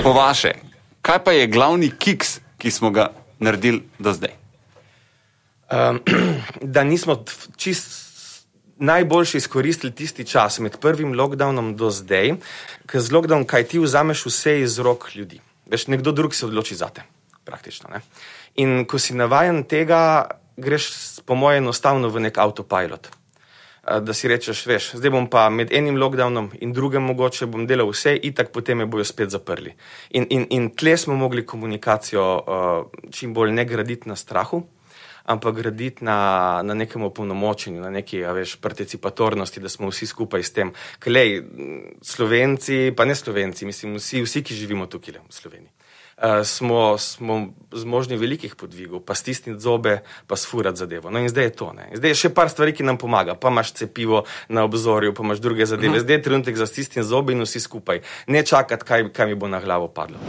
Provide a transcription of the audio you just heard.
Po vaše, kaj pa je glavni kiks, ki smo ga naredili do zdaj? Da nismo najboljše izkoristili tisti čas med prvim lockdownom do zdaj, ker z lockdownom, kaj ti vzameš vse iz rok ljudi. Veš, nekdo drug se odloči zate, praktično. Ne? In ko si navajen tega, greš po moje enostavno v nek autopilot. Da si rečeš, veš, zdaj bom pa med enim lockdownom in drugim mogoče bom delal vse, itak potem me bojo spet zaprli. In tle smo mogli komunikacijo čim bolj ne graditi na strahu, ampak graditi na nekem opolnomočenju, na neki, participatornosti, da smo vsi skupaj s tem. Klej, Slovenci, pa ne Slovenci, mislim, vsi, ki živimo tukaj v Sloveniji. Smo zmožni velikih podvigov, pa stisniti zobe, pa sfurati zadevo. No in zdaj je to. Ne? Zdaj je še par stvari, ki nam pomaga. Pa imaš cepivo na obzorju, pa imaš druge zadeve. Zdaj je trenutek za stisniti zobe in vsi skupaj. Ne čakati, kaj mi bo na glavo padlo.